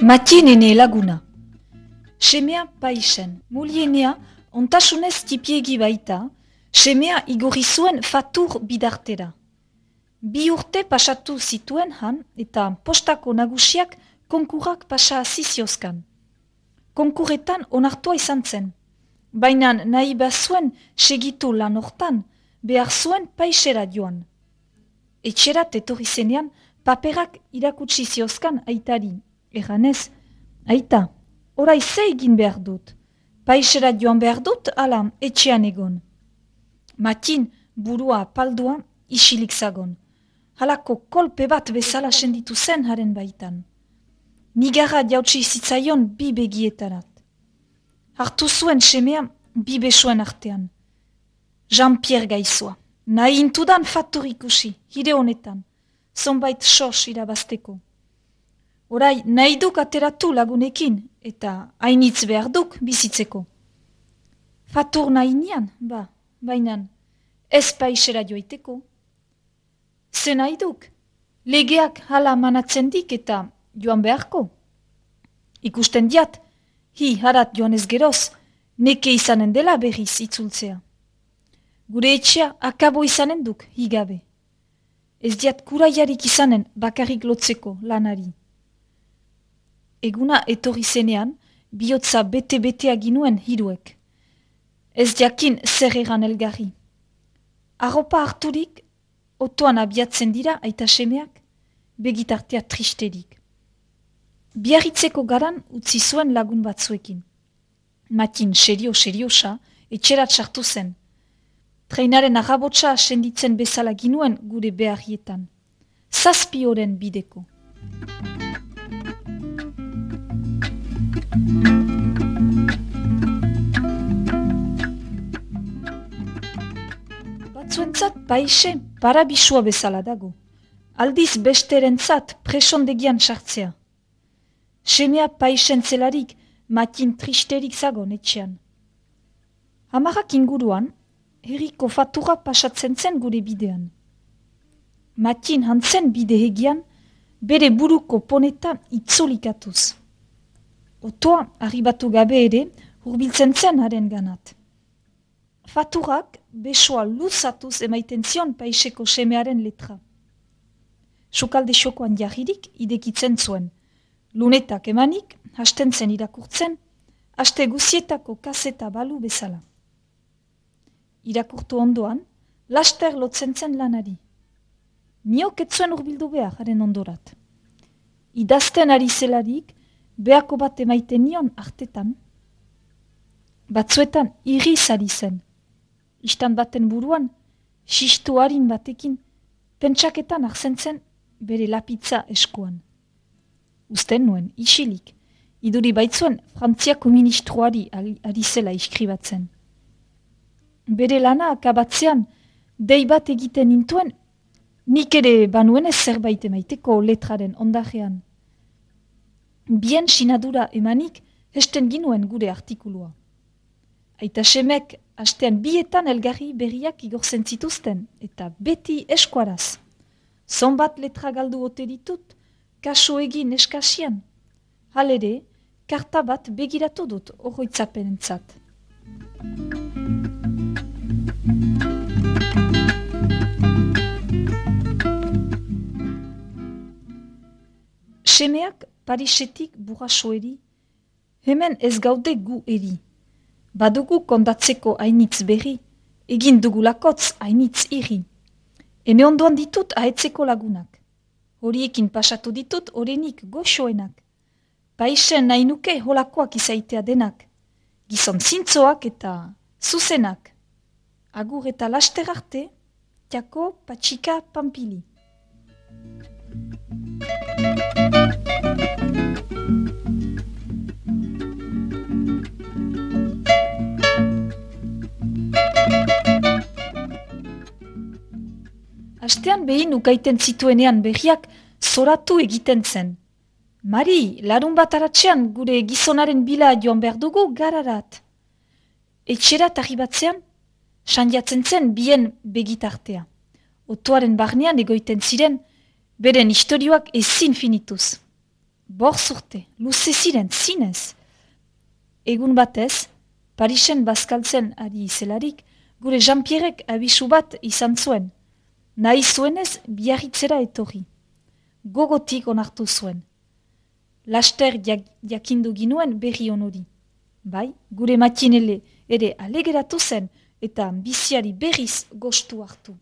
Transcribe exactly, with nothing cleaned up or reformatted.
Matinene laguna. Semea paisen, mulienea ontasunez tipiegi baita, semea igorri zuen fatur bidartera. Bi urte pasatu zituen han eta postako nagusiak konkurrak pasa ziziozkan. Konkurretan onartua izan zen, baina nahi bazuen segitu lan hortan, behar zuen paisera joan. Etxerat etorri zenean paperak irakutsi ziozkan aitari, erranez, aita, orai ze egin behar dut, paisera joan behar dut ala etxean egon. Matin burua paldua isilik zagon, halako kolpe bat bezala senditu zen haren baitan. Nigarra jautsi zitzaion bi begietarat. Hartu zuen semea bi besoen artean. Jean-Pierre gaizua, nahi intudan fatur ikusi, hire honetan, zonbait sos irabazteko. Orai nahi duk ateratu lagunekin, eta hainitz behar duk bizitzeko. Fatur nahi nian, ba, bainan, ez paisera joiteko. Ze nahi duk, legeak hala manatzen dik eta joan beharko. Ikusten diat, hi harat joan ez geroz, neke izanen dela berriz itzultzea. Gure etxea akabo izanen duk, higabe. Ez diat kuraiarik izanen bakarrik lotzeko lanari. Eguna etorri zenean, bihotza bete-betea ginuen hiruek. Ez jakin zer eran elgarri. Arropa harturik, otoan abiatzen dira aita semeak, begitartea tristerik. Biarritzeko garan utzi zuen lagun batzuekin. Matin serio-seriosa, etxerat sartu zen. Treinaren arrabotsa senditzen bezala ginuen gure beharrietan. Zazpi oren bideko. Batzuentzat paise parabisua bezala dago. Aldiz besterentzat presondegian sartzea. Semea paisen zelarik matin tristerik zagon etxean. Hamarak inguruan, herriko fatura pasatzen zen gure bidean. Matin hantzen bide hegian, bere buruko poneta itzolikatuz. Otoa arribatu gabe ere hurbiltzen zen haren ganat. Faturak besoa luzatuz emaiten zion paiseko semearen letra. Sukalde xokoan jarririk idekitzen zuen. Lunetak emanik, hasten zen irakurtzen, haste guzietako kaseta balu bezala. Irakurtu ondoan, laster lotzen zen lanari. Niok etzuen urbildu behar haren ondorat. Idazten ari zelarik, behako bat emaiten nion artetan. Batzuetan irriz ari zen. Istan baten buruan, xistu harin batekin, pentsaketan arzen zen bere lapitza eskuan. Usten nuen, isilik, iduri baitzuen Frantziako ministroari ari zela iskribatzen. Bere lana akabatzean, dei bat egiten nintuen, nik ere banuen ez zerbait emaiteko letraren ondajean. Bien sinadura emanik, hesten ginuen gure artikulua. Aita semek, hastean bietan elgarri berriak igortzen zituzten, eta beti eskuaraz. Zonbat letra galdu ote ditut, kaso egin eskasian. Halere, karta bat begiratu dut oroitzapenentzat. Semeak Parisetik burrasoeri, hemen ez gaude gu eri. Badugu kondatzeko hainitz berri, egin dugulakotz hainitz irri. Ene ondoan ditut ahetzeko lagunak. Horiekin pasatu ditut orenik goxoenak. Paisen nahi nuke holakoak izaitea denak. Gizon zintzoak eta zuzenak. Agur eta laster arte, tiako patxika pampili. Astean behin ukaiten zituenean berriak zoratu egiten zen. Mari, larun bat aratzean gure gizonaren bila joan behar dugu gararat. Etxerat arribatzean, sandiatzen zen bien begitartea. Otoaren barnean egoiten ziren, beren istorioak ezin finituz. borz urte, luze ziren, zinez. Egun batez, Parisen bazkaltzen ari zelarik, gure Jean-Pierrek abisu bat izan zuen. Nahi zuenez biarritzera etorri. Gogotik onartu zuen. Laster jak, jakindu ginuen berri onori. Bai, gure matinele ere alegeratu zen eta biziari berriz gostu hartu.